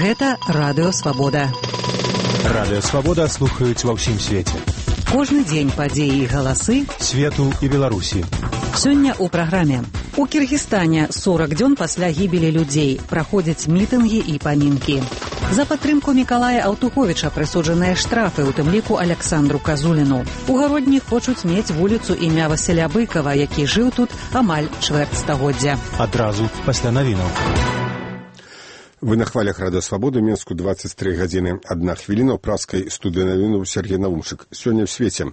Гэта Радыё Свабода. Радыё Свабода слухаюць ва ўсім свеце. Кожны дзень падзеі і галасы свету і Беларусі. Сёння ў праграме. У Кіргізстане 40 дзён пасля гібелі людзей праходзяць мітынгі і памінкі. За падтрымку Мікалая Аўтуховіча прысуджаныя штрафы, у тым ліку Аляксандру Казуліну. У Гародні хочуць мець вуліцу імя Васіля Быкава, які жыў тут амаль чвэрць стагоддзя. Адразу пасля навінаў. Вы на хвалях Радыё Свабоды, Мінску 23 гадзіны 1 хвіліна, ў праскай студыі навінаў Сергей Навумчык. Сёння ў свеце.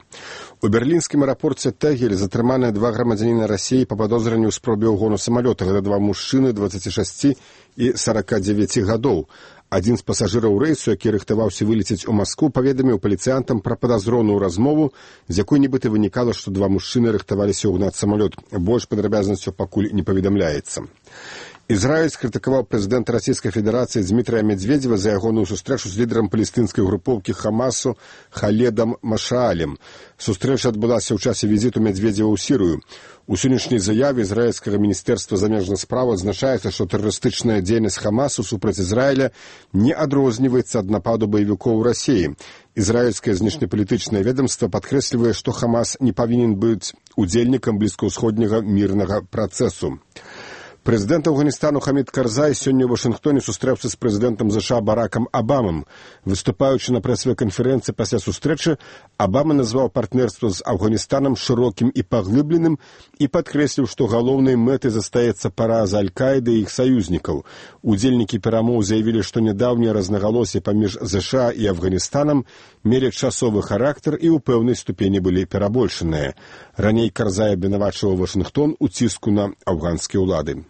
У берлінскім аэрапорце Тэгель затрыманыя 2 грамадзяніна Расіі па падозранню ў спробе ўгону самалёта. Гэта 2 мужчыны 26 і 49 гадоў. Адзін з пасажыраў рэйсу, які рыхтаваўся вылецець у Маскву, паведаміў паліцыянтам пра падазроную размову, з якой нібыта вынікала, што 2 мужчыны рыхтаваліся ўгнаць самалёт. Больш падрабязнасцяў пакуль не паведамляецца. Ізраіль скрытыкаваў прэзідэнта Расійскай Федэрацыі Дмітрая Медведзева за ягоную сустрэчу з лідарам палестынскай групоўкі Хамасу Халедам Машаалем. Сустрэча адбылася ў часе візіту Медведзева ў Сірыю. У сённяшняй заяве ізраільскага міністэрства замежных спраў адзначаецца, што тэрарыстычная дзейнасць Хамасу супраць Ізраіля не адрозніваецца ад нападу баевікоў Расіі. Ізраільскае знешнепалітычнае ведамства падкрэслівае, што Хамас не павінен быць удзельнікам блізкаўсходняга мірнага працэсу. Прэзідэнт Афганістану Хамід Карзай сёння ў Вашынгтоне сустрэўся з прэзідэнтам ЗША Баракам Абамам. Выступаючы на прэсавай канферэнцыі пасля сустрэчы, Абама назваў партнерства з Афганістанам шырокім і паглыбленым і падкрэсліў, што галоўнай мэтай застаецца параза Аль-Каіды і іх саюзнікаў. Удзельнікі перамоў заявілі, што нядаўнія рознагалоссі паміж ЗША і Афганістанам мелі часовы характар і ў пэўнай ступені былі перабольшаныя. Раней Карзай абвінавачваў Вашынгтон у ціску на афганскія ўлады.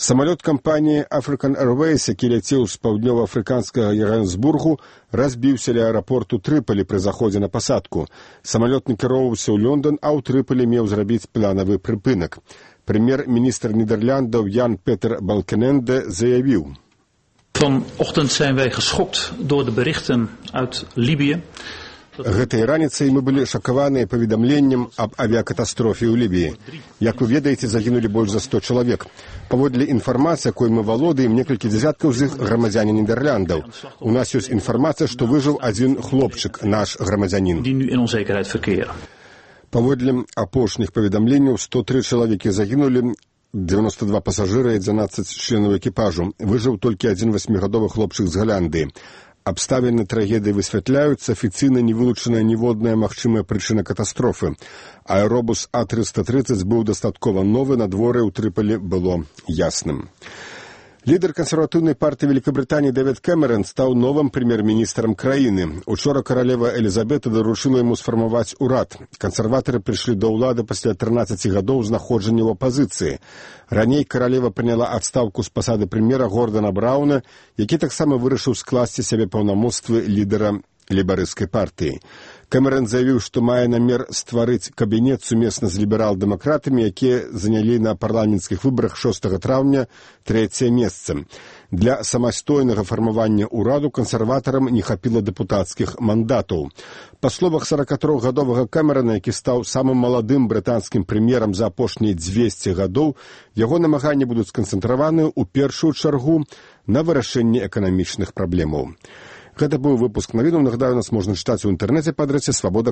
Самалёт кампаніі African Airways, які ляцеў з паўднёва-афрыканскага Йоханнесбургу, разбіўся ля аэрапорту Трыполі пры заходзе на пасадку. Самалёт накіроўваўся ў Лондон, а ў Трыполі меў зрабіць планавы прыпынак. Прэм'ер-міністр Нідэрляндаў Ян Петер Балкененде заявіў: Vanochtend zijn wij geschokt door de berichten uit Libië. Гэтай раніцай мы былі шакаваныя паведамленнем аб авіякатастрофе ў Лібіі. Як вы ведаеце, загінулі больш за 100 чалавек. Паводле інфармацыі, якой мы валодаем, некалькі дзясяткаў з іх грамадзяне Нідерландаў. У нас ёсць інфармацыя, што выжыў адзін хлопчык, наш грамадзянін. Паводле апошніх паведамленняў, 103 чалавекі загінулі, 92 пасажыры і 12 членаў экіпажу. Выжыў толькі адзін 8гадовы хлопчык з Галандыі. Абставіны трагедыі высвятляюцца, афіцыйна не вылучаная ніводная магчымая прычына катастрофы. Аэробус А330 быў дастаткова новы, надвор'е ў Трыполі было ясным. Лідар кансерватыўнай партыі Великабрытаніі Дэвід Кэмерон стаў новым прэм'ер-міністрам краіны. Учора каралева Элізабета даручыла яму сфармаваць урад. Кансерватары прыйшлі да ўлады пасля 13 гадоў знаходжання ў апазіцыі. Раней каралева прыняла адстаўку з пасады прэм'ера Гордана Брауна, які таксама вырашыў скласці сябе паўнамоцтвы лідара лейбарысцкай партыі. Кэмерон заявіў, што мае намер стварыць кабінет сумесна з ліберал-дэмакратамі, якія занялі на парламенцкіх выбарах 6 траўня 3-е месца. Для самастойнага фармавання ўраду кансерватарам не хапіла дэпутацкіх мандатаў. Па словах 43гадовага Кэмерона, які стаў самым маладым брытанскім прэм'ерам за апошнія 200 гадоў, яго намаганні будуць сканцэнтраваны ў першую чаргу на вырашэнні эканамічных праблемаў. Гэта быў выпуск навінаў. Нагадаю, нас можна чытаць у інтэрнэце па адрасе свабода.